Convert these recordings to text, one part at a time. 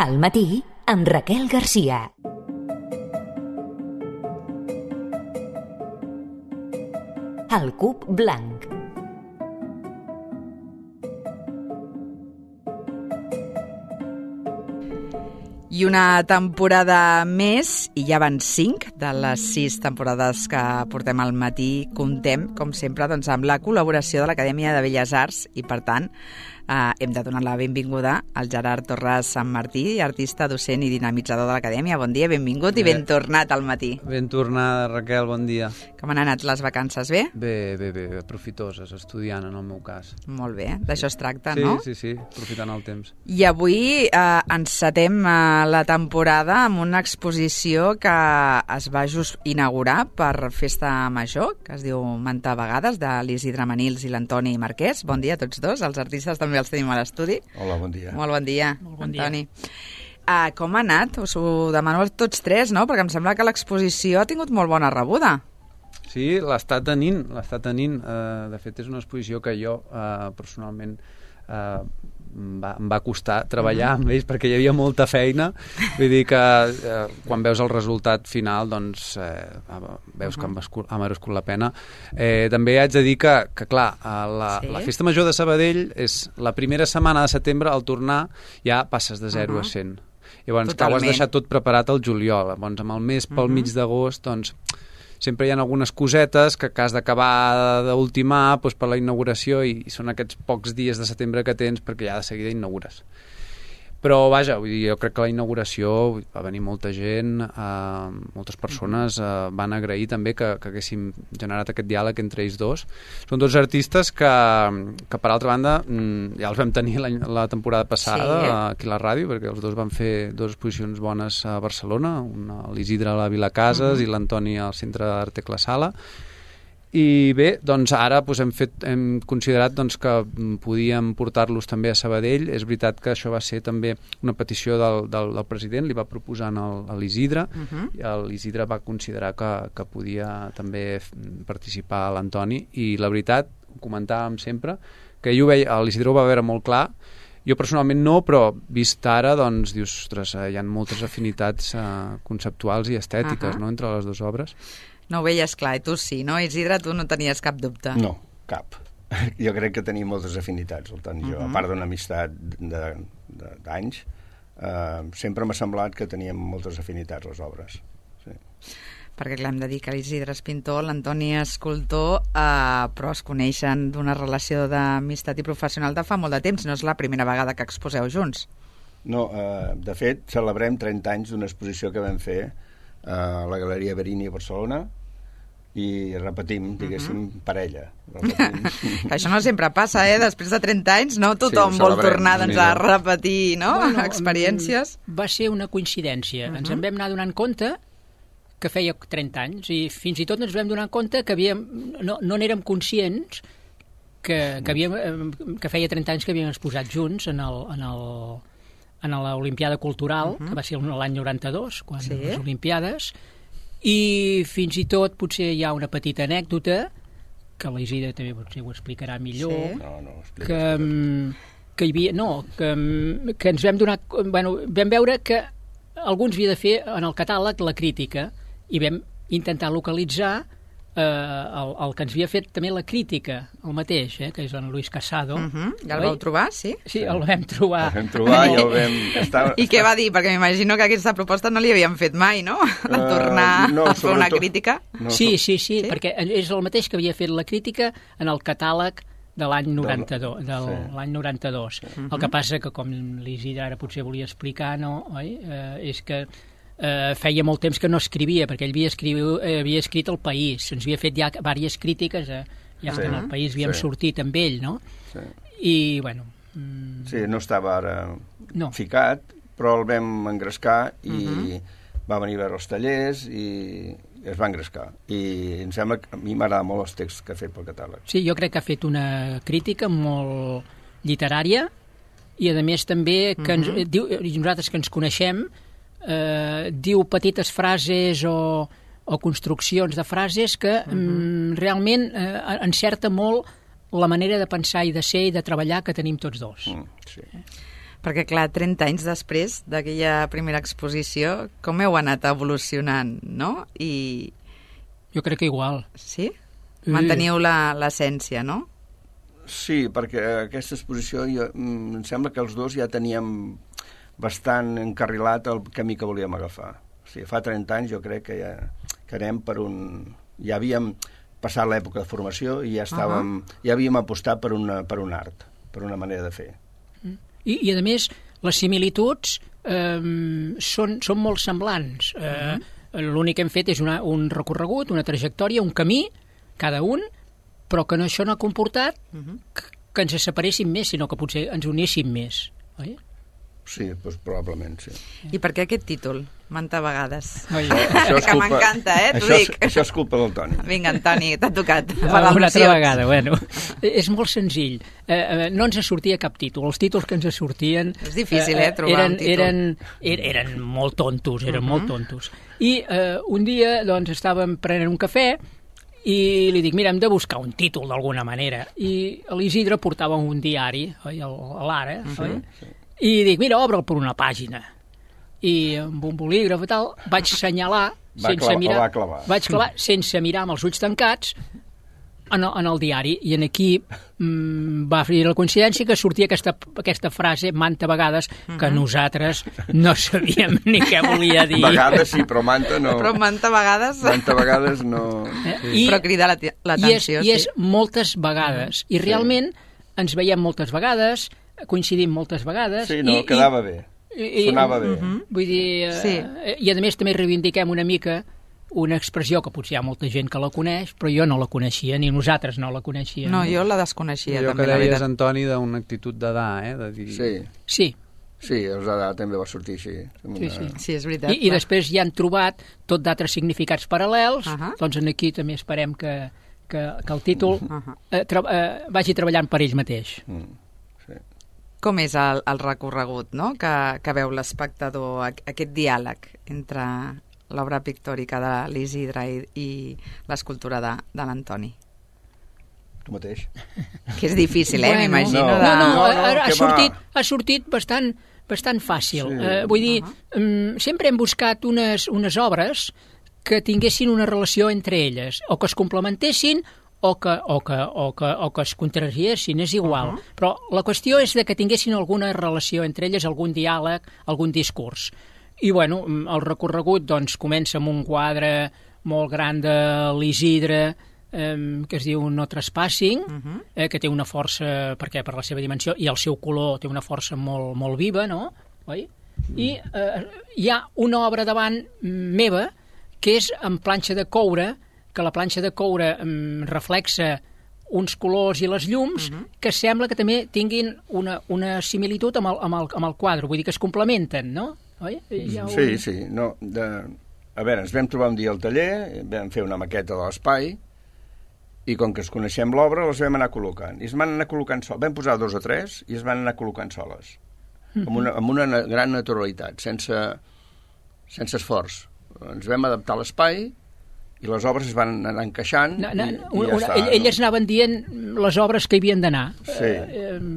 Al matí, amb Raquel Garcia. El cub blanc. I una temporada més, i ja van 5 de les 6 temporades que portem al matí, comptem, com sempre, doncs, amb la col·laboració de l'Acadèmia de Belles Arts i, per tant, hem de donar la benvinguda al Gerard Torres Sant Martí, artista, docent i dinamitzador de l'Acadèmia. Bon dia, benvingut i ben tornat al matí. Ben tornada, Raquel, bon dia. Com han anat les vacances, bé? Bé, profitoses, estudiant en el meu cas. Molt bé, d'això es tracta, sí, no? Sí, aprofitant el temps. I avui encetem la temporada amb una exposició que es va just inaugurar per Festa Major, que es diu Manta Vegades, de l'Isidre Manils i l'Antoni Marquès. Bon dia a tots dos, els artistes també els tenim a l'estudi. Hola, bon dia. Molt bon dia, bon Antoni. Com ha anat? Us ho demano a tots tres, no? Perquè em sembla que l'exposició ha tingut molt bona rebuda. Sí, l'està tenint. De fet, és una exposició que jo, personalment, em va costar treballar amb ells perquè hi havia molta feina. Vull dir que quan veus el resultat final, doncs veus que ha merescut la pena. També haig de dir que clar, la Festa Major de Sabadell és la primera setmana de setembre, al tornar ja passes de 0 a 100. Llavors, que ho has deixat tot preparat al juliol. Llavors, amb el mes pel mig d'agost, doncs sempre hi ha algunes cosetes que has d'acabar d'ultimar per la inauguració i són aquests pocs dies de setembre que tens perquè ja de seguida inaugures. Però, vaja, jo crec que la inauguració va venir molta gent, moltes persones van agrair també que haguéssim generat aquest diàleg entre ells dos. Són dos artistes que per altra banda, ja els vam tenir la temporada passada aquí a la ràdio, perquè els dos van fer 2 exposicions bones a Barcelona, una a l'Isidre a la Vila Casas i l'Antoni al Centre d'Arte Clasala. I bé, doncs ara hem considerat que podíem portar-los també a Sabadell. És veritat que això va ser també una petició del president, li va proposar a l'Isidre, i l'Isidre va considerar que podia també participar a l'Antoni, i la veritat, ho comentàvem sempre, que ell ho veia, l'Isidre ho va veure molt clar. Jo personalment no, però vist ara, doncs dius, ostres, hi ha moltes afinitats conceptuals i estètiques, no?, entre les dues obres. No ho veies clar, i tu sí, no? Isidre, tu no tenies cap dubte. No, cap. Jo crec que tenim moltes afinitats, el tant jo. A part d'una amistat d'anys, sempre m'ha semblat que teníem moltes afinitats les obres. Sí. Perquè clar, hem de dir que l'Isidre és pintor, l'Antoni és escultor, però es coneixen d'una relació d'amistat i professional de fa molt de temps. No és la primera vegada que exposeu junts. No, de fet, celebrem 30 anys d'una exposició que vam fer a la Galeria Verini a Barcelona, i repetim, diguéssim, parella. Això no sempre passa, després de 30 anys, no? Tothom vol tornar a repetir, no? Experiències. Va ser una coincidència. Ens en vam anar donant compte que feia 30 anys, i fins i tot ens vam donar compte que no n'érem conscients que feia 30 anys que havíem exposat junts en l'Olimpiada Cultural, que va ser l'any 92, quan les Olimpiades, i fins i tot potser hi ha una petita anècdota que l'Isidre també potser ho explicarà millor, que hi havia, que ens vam donar, vam veure que algú ens havia de fer en el catàleg la crítica, i vam intentar localitzar el que ens havia fet també la crítica, el mateix, que és en Luis Casado. Ja el vau trobar, sí? Sí, el vam trobar. El vam trobar i el vam... I què va dir? Perquè m'imagino que aquesta proposta no li havien fet mai, no? Tornar a fer una crítica. Sí, perquè és el mateix que havia fet la crítica en el catàleg de l'any 92. L'any 92. El que passa que, com l'Isidre ara potser volia explicar, és que feia molt temps que no escrivia, perquè ell havia escrit El País, ens havia fet ja diverses crítiques, ja que en El País havíem sortit amb ell, no? I, bueno... Sí, no estava ara ficat, però el vam engrescar i va venir a veure els tallers i es va engrescar. I em sembla que a mi m'agrada molt els texts que ha fet pel catàleg. Sí, jo crec que ha fet una crítica molt literària i, a més, també, que nosaltres que ens coneixem, diu petites frases o construccions de frases que realment encerta molt la manera de pensar i de ser i de treballar que tenim tots dos. Sí. Perquè, clar, 30 anys després d'aquella primera exposició, com heu anat evolucionant, no? I... Jo crec que igual. Sí? Manteniu l'essència, no? Sí, perquè aquesta exposició em sembla que els dos ja teníem bastant encarrilat el camí que volíem agafar. O sigui, fa 30 anys jo crec que ja anem per un... Ja havíem passat l'època de formació i ja estàvem... Ja havíem apostat per un art, per una manera de fer. I a més, les similituds són molt semblants. L'únic que hem fet és un recorregut, una trajectòria, un camí, cada un, però que això no ha comportat que ens separéssim més, sinó que potser ens unéssim més, oi? Sí, doncs probablement, sí. I per què aquest títol? Manta vegades. Això que m'encanta, t'ho dic. Això és culpa del Toni. Vinga, Antoni, t'ha tocat. Una altra vegada, bueno. És molt senzill. No ens sortia cap títol. Els títols que ens sortien... És difícil, trobar un títol. Eren molt tontos, molt tontos. I un dia, doncs, estàvem prenent un cafè i li dic, mira, hem de buscar un títol d'alguna manera. I l'Isidre portava un diari, oi, a l'Ara, oi? I dic, mira, obre'l per una pàgina. I amb un bolígraf i tal, vaig assenyalar sense mirar, vaig clavar sense mirar amb els ulls tancats en el diari, i en aquí va fer la coincidència que sortia aquesta frase manta vegades que nosaltres no sabíem ni què volia dir. Vegades sí, però manta no. Però manta vegades... Manta vegades no... Però crida l'atenció. I és moltes vegades. I realment ens veiem moltes vegades, coincidim moltes vegades. Sí, no, quedava bé. Sonava bé. Vull dir... I a més també reivindiquem una mica una expressió que potser hi ha molta gent que la coneix, però jo no la coneixia, ni nosaltres no la coneixíem. No, jo la desconeixia. Allò també, que deies, Antoni, d'una actitud d'edar, de dir... Sí. Sí, els d'edat també va sortir així. Sí, és veritat. I després ja han trobat tot d'altres significats paral·lels, doncs aquí també esperem que el títol vagi treballant per ell mateix. Com és el recorregut, no?, que veu l'espectador, aquest diàleg entre l'obra pictòrica de l'Isidre i l'escultura de l'Antoni? Tu mateix. Que és difícil, m'imagino. No, ha sortit bastant fàcil. Vull dir, sempre hem buscat unes obres que tinguessin una relació entre elles, o que es complementessin o que es contrariessin, és igual. Però la qüestió és que tinguessin alguna relació entre elles, algun diàleg, algun discurs. I, bueno, el recorregut doncs, comença amb un quadre molt gran de l'Isidre, que es diu No Trespassing, que té una força, perquè per la seva dimensió i el seu color té una força molt, molt viva, no? Oi? I hi ha una obra davant meva que és en planxa de coure, que la planxa de coure reflexa uns colors i les llums que sembla que també tinguin una similitud amb el quadre, vull dir que es complementen, no? Oi? Sí. No, a veure, ens vam trobar un dia al taller, vam fer una maqueta de l'espai i com que es coneixem l'obra les vam anar col·locant. I es van anar col·locant soles. Vam posar 2 o 3 i es van anar col·locant soles. Amb una gran naturalitat, sense esforç. Ens vam adaptar a l'espai i les obres es van anar encaixant elles anaven dient les obres que hi havien d'anar.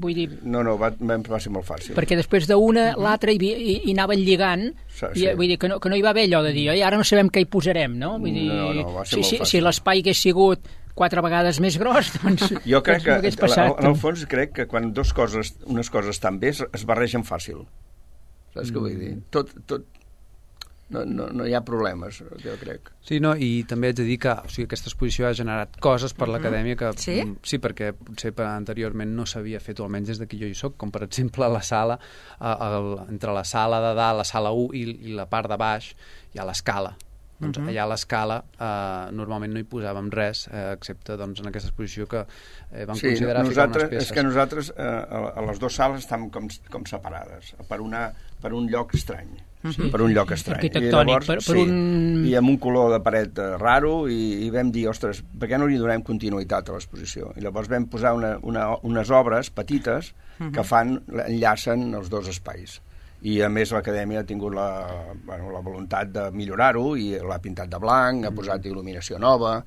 Vull dir... No, va ser molt fàcil. Perquè després d'una, l'altra hi anaven lligant, vull dir que no hi va haver allò de dir ara no sabem què hi posarem, no? Vull dir, va ser molt fàcil. Si l'espai hagués sigut 4 vegades més gros, doncs jo crec no hagués passat. En el fons crec que quan unes coses estan bé es barregen fàcil. Saps què vull dir? Tot no hi ha problemes, jo crec. Sí, no, i també haig de dir que aquesta exposició ha generat coses per l'acadèmia que... Sí, perquè potser anteriorment no s'havia fet, o almenys des que jo hi soc, com per exemple la sala, entre la sala de dalt, la sala 1 i la part de baix, hi ha l'escala. Doncs allà a l'escala normalment no hi posàvem res, excepte doncs, en aquesta exposició que vam considerar ficar unes peces. És que nosaltres a les 2 sales estan com separades, per un lloc estrany. Per un lloc estrany. Arquitectònic, I amb un color de paret raro, i vam dir, ostres, per què no li donem continuïtat a l'exposició? I llavors vam posar unes obres petites que enllacen els 2 espais. I a més l'acadèmia ha tingut la voluntat de millorar-ho i l'ha pintat de blanc, ha posat il·luminació nova,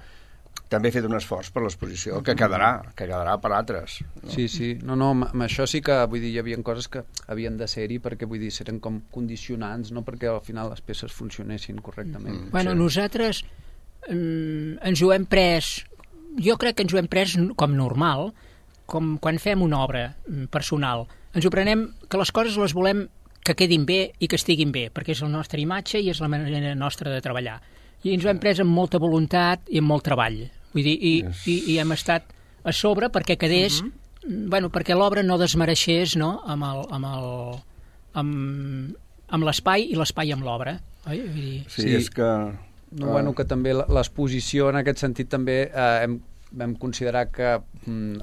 també he fet un esforç per l'exposició, que quedarà per altres. No? Sí. No, amb això sí que, vull dir, hi havia coses que havien de ser-hi perquè, vull dir, eren com condicionants, no perquè al final les peces funcionessin correctament. Bueno, nosaltres ens ho hem pres, jo crec que ens ho hem pres com normal, com quan fem una obra personal. Ens ho prenem que les coses les volem que quedin bé i que estiguin bé, perquè és la nostra imatge i és la manera nostra de treballar. I ens ho hem pres amb molta voluntat i amb molt treball. Vull dir, i hem estat a sobre perquè quedés, bueno, perquè l'obra no desmereixés, no?, amb l'espai i l'espai amb l'obra. Sí, és que... No, bueno, que també l'exposició en aquest sentit també vam considerar que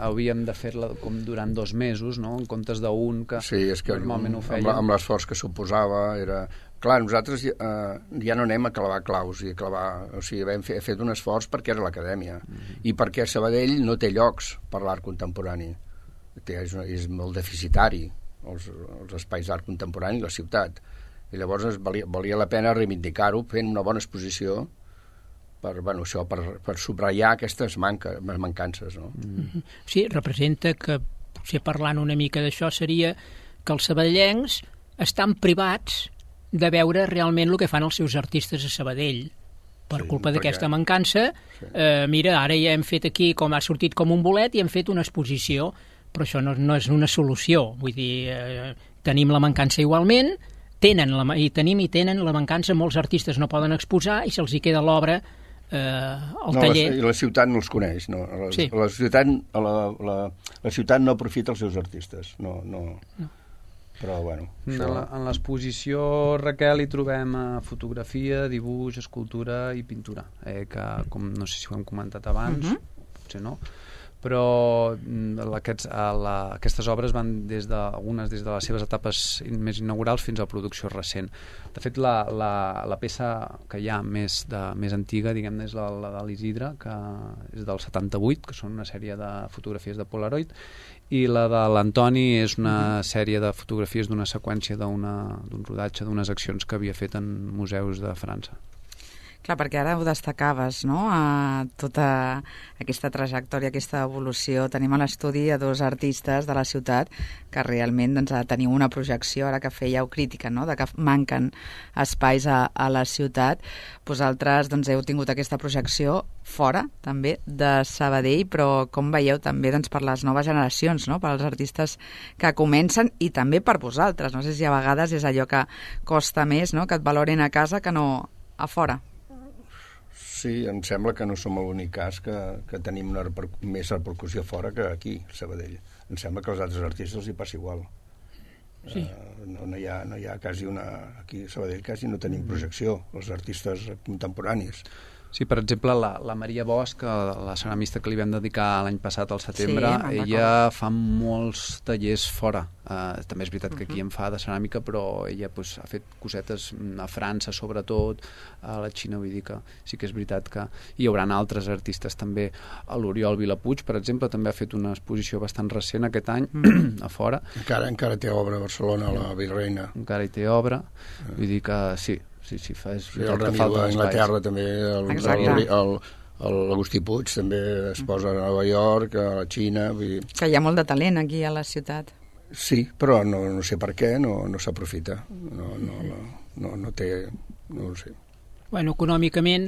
havíem de fer-la com durant 2 mesos, no?, en comptes d'un que normalment ho fèiem. Amb l'esforç que suposava era... Clar, nosaltres ja no anem a clavar claus i a clavar... O sigui, hem fet un esforç perquè era l'acadèmia i perquè Sabadell no té llocs per l'art contemporani. És molt deficitari els espais d'art contemporani i la ciutat. I llavors valia la pena reivindicar-ho fent una bona exposició per subratllar aquestes mancances. No? Sí, representa que, potser parlant una mica d'això, seria que els sabadellencs estan privats de veure realment el que fan els seus artistes a Sabadell. Per culpa d'aquesta mancança, mira, ara ja hem fet aquí, com ha sortit com un bolet, i hem fet una exposició, però això no és una solució. Vull dir, tenim la mancança igualment, tenen la mancança, molts artistes no poden exposar i se'ls hi queda l'obra al taller. I la ciutat no els coneix. No? La ciutat no aprofita els seus artistes. No. Però, bueno... En l'exposició, Raquel, hi trobem fotografia, dibuix, escultura i pintura, que, com no sé si ho hem comentat abans, potser no, però aquestes obres van algunes des de les seves etapes més inaugurals fins a la producció recent. De fet, la peça que hi ha més antiga, diguem-ne, és la de l'Isidre, que és del 78, que són una sèrie de fotografies de Polaroid, i la de l'Antoni és una sèrie de fotografies d'una seqüència d'un rodatge d'unes accions que havia fet en museus de França. Clar, perquè ara ho destacaves, no?, a tota aquesta trajectòria, aquesta evolució. Tenim a l'estudi a 2 artistes de la ciutat que realment teniu una projecció, ara que fèieu crítica, no?, de que manquen espais a la ciutat. Vosaltres heu tingut aquesta projecció fora, també, de Sabadell, però com veieu també per les noves generacions, no?, pels artistes que comencen i també per vosaltres. No sé si a vegades és allò que costa més, no?, que et valorin a casa que no a fora. Sí, em sembla que no som l'únic cas que tenim més repercussió fora que aquí, a Sabadell. Em sembla que als altres artistes els hi passa igual. Sí. No hi ha quasi aquí a Sabadell quasi no tenim projecció, els artistes contemporanis. Sí, per exemple, la Maria Bosch, la ceramista que li vam dedicar l'any passat al setembre, ella fa molts tallers fora. També és veritat que aquí en fa de ceràmica, però ella ha fet cosetes a França, sobretot, a la Xina, vull dir que sí que és veritat que hi haurà altres artistes també. L'Oriol Vilapuig, per exemple, també ha fet una exposició bastant recent aquest any, a fora. Encara té obra a Barcelona, la Virreina. Encara hi té obra, vull dir que sí. Sí, el Ramil d'Anglaterra també, l'Agustí Puig també es posa a Nova York, a la Xina... Que hi ha molt de talent aquí a la ciutat. Sí, però no sé per què, no s'aprofita. No té... no ho sé. Bueno, econòmicament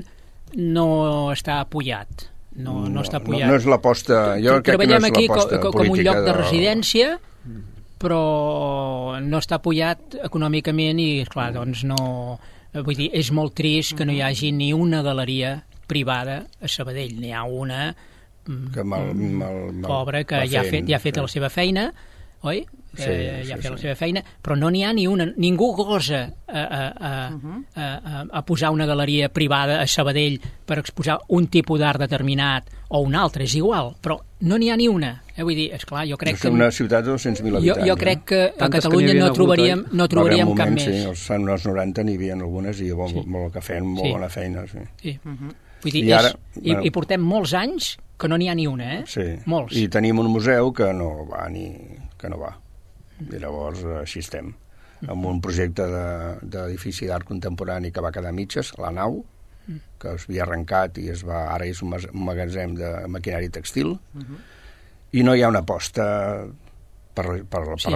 no està apoyat. No està apoyat. No és l'aposta... Treballem aquí com un lloc de residència, però no està apoyat econòmicament i, esclar, doncs no... Vull dir, és molt trist que no hi hagi ni una galeria privada a Sabadell. N'hi ha una pobra que ja ha fet la seva feina, oi? Ja ha fet la seva feina, però no n'hi ha ni una. Ningú gosa a posar una galeria privada a Sabadell per exposar un tipus d'art determinat o un altre, és igual, però no n'hi ha ni una. Vull dir, esclar, jo crec que... És una ciutat de 200.000 habitants. Jo crec que a Catalunya no trobaríem cap més. Sí, als anys 90 n'hi havia algunes i molt que feien molt bona feina. Sí. Vull dir, i portem molts anys que no n'hi ha ni una, Sí, molts. I tenim un museu que no va. I llavors així estem. Amb un projecte d'edifici d'art contemporani que va quedar a mitges, la nau, que es havia arrencat i ara és un magatzem de maquinari textil, i no hi ha una aposta per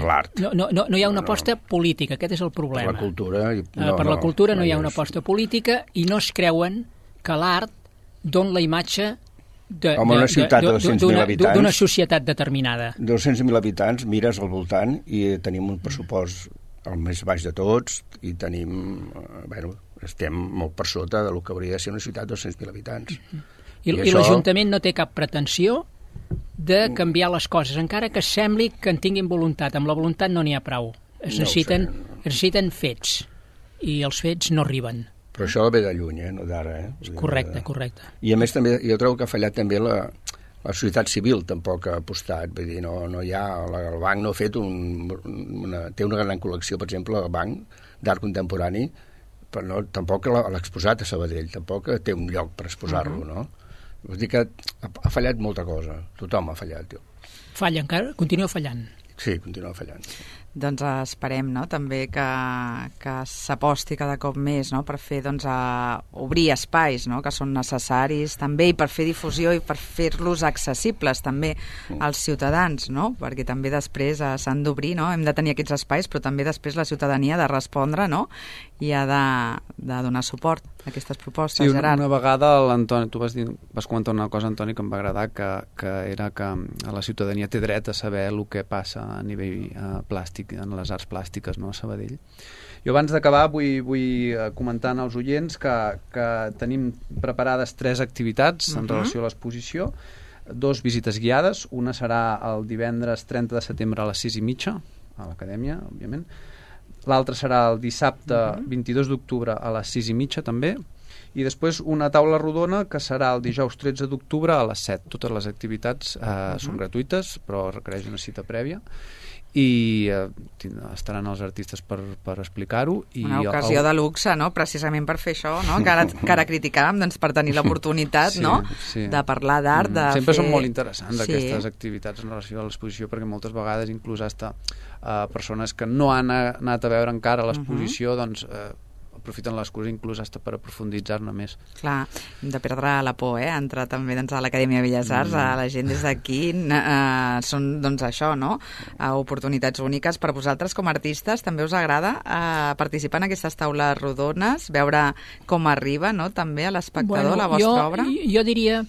l'art. No hi ha una aposta política, aquest és el problema. Per la cultura. Per la cultura no hi ha una aposta política i no es creuen que l'art dona la imatge una ciutat de 200.000 habitants, d'una societat determinada. 200.000 habitants, mires al voltant i tenim un pressupost el més baix de tots i tenim, estem molt per sota del que hauria de ser una ciutat de 200.000 habitants. I l'Ajuntament no té cap pretensió de canviar les coses, encara que sembli que en tinguin voluntat. Amb la voluntat no n'hi ha prou. Es necessiten fets, i els fets no arriben. Però això ve de lluny, no d'ara. Correcte. I a més també, jo trobo que ha fallat també la societat civil, tampoc ha apostat. Vull dir, no hi ha... El banc no ha fet té una gran col·lecció, per exemple, el banc d'art contemporani, però tampoc l'ha exposat a Sabadell, tampoc té un lloc per exposar-lo, no? Vull dir que ha fallat molta cosa. Tothom ha fallat. Falla encara? Continua fallant? Sí, continua fallant. Doncs esperem, no?, també que s'aposti cada cop més, no?, per fer, doncs, obrir espais, no?, que són necessaris també, i per fer difusió i per fer-los accessibles també als ciutadans, no?, perquè també després s'han d'obrir, no?, hem de tenir aquests espais, però també després la ciutadania ha de respondre, no?, i ha de donar suport a aquestes propostes. Sí, Gerard. Una vegada l'Antoni, tu vas comentar una cosa, Antoni, que em va agradar, que era que la ciutadania té dret a saber el que passa a nivell plàstic, en les arts plàstiques, no?, a Sabadell. Jo abans d'acabar vull comentar als oients que tenim preparades 3 activitats en relació a l'exposició, 2 visites guiades, una serà el divendres 30 de setembre a les 6:30 a l'Acadèmia, òbviament, l'altra serà el dissabte 22 d'octubre a les 6:30 també, i després una taula rodona que serà el dijous 13 d'octubre a les 7. Totes les activitats són gratuïtes, però requereix una cita prèvia, i estaran els artistes per explicar-ho. Una ocasió de luxe, no?, precisament per fer això, no?, que ara criticàvem, doncs, per tenir l'oportunitat, no?, de parlar d'art, de sempre fer... són molt interessants aquestes activitats en relació a l'exposició, perquè moltes vegades inclús hasta persones que no han anat a veure encara l'exposició, doncs aprofiten l'excusa inclús hasta per aprofunditzar-ne més. Clar, hem de perdre la por, entrar també, doncs, a l'Acadèmia de Belles Arts, a la gent des d'aquí, són, doncs, això, no?, oportunitats úniques. Per vosaltres, com a artistes, també us agrada participar en aquestes taules rodones, veure com arriba, no?, també a l'espectador, la vostra obra? Jo diria...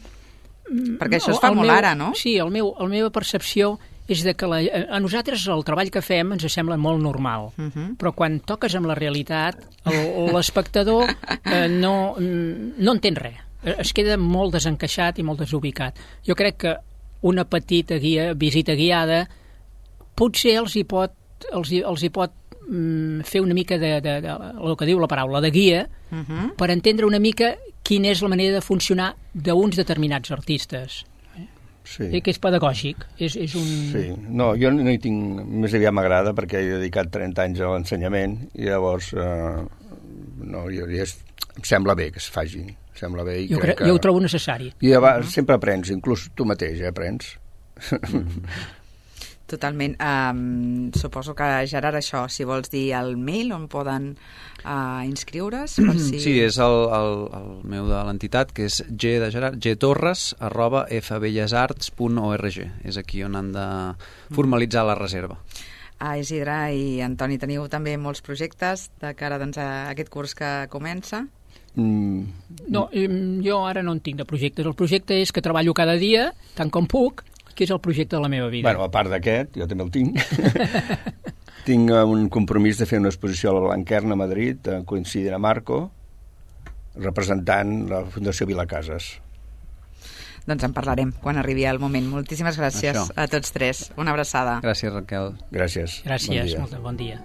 Perquè això es fa molt ara, no? Sí, la meva percepció és de que a nosaltres el treball que fem ens sembla molt normal, però quan toques amb la realitat, l'espectador no entén res. Es queda molt desencaixat i molt desubicat. Jo crec que una petita visita guiada potser els hi pot fer una mica de el que diu la paraula, de guia, per entendre una mica quina és la manera de funcionar d'uns determinats artistes. Sí. Que és pedagògic. És un... Sí. No, jo no hi tinc... Més aviat m'agrada perquè he dedicat 30 anys a l'ensenyament i llavors em sembla bé que es faci. Sembla bé i jo ho trobo necessari. I sempre aprens, inclús tu mateix aprens. Totalment. Suposo que, Gerard, això, si vols dir el mail on poden inscriure's, per si... Sí, és el meu de l'entitat, que és gtorres@fbellesarts.org. És aquí on han de formalitzar la reserva. Isidre i Antoni, teniu també molts projectes de cara, doncs, a aquest curs que comença? No, jo ara no en tinc de projectes. El projecte és que treballo cada dia, tant com puc, que és el projecte de la meva vida. Bueno, a part d'aquest, jo també el tinc. Tinc un compromís de fer una exposició a la Blanquerna a Madrid, coincidint amb Marco, representant la Fundació Vilacases. Doncs en parlarem quan arribi el moment. Moltíssimes gràcies a tots 3. Una abraçada. Gràcies, Raquel. Gràcies. Gràcies, bon dia.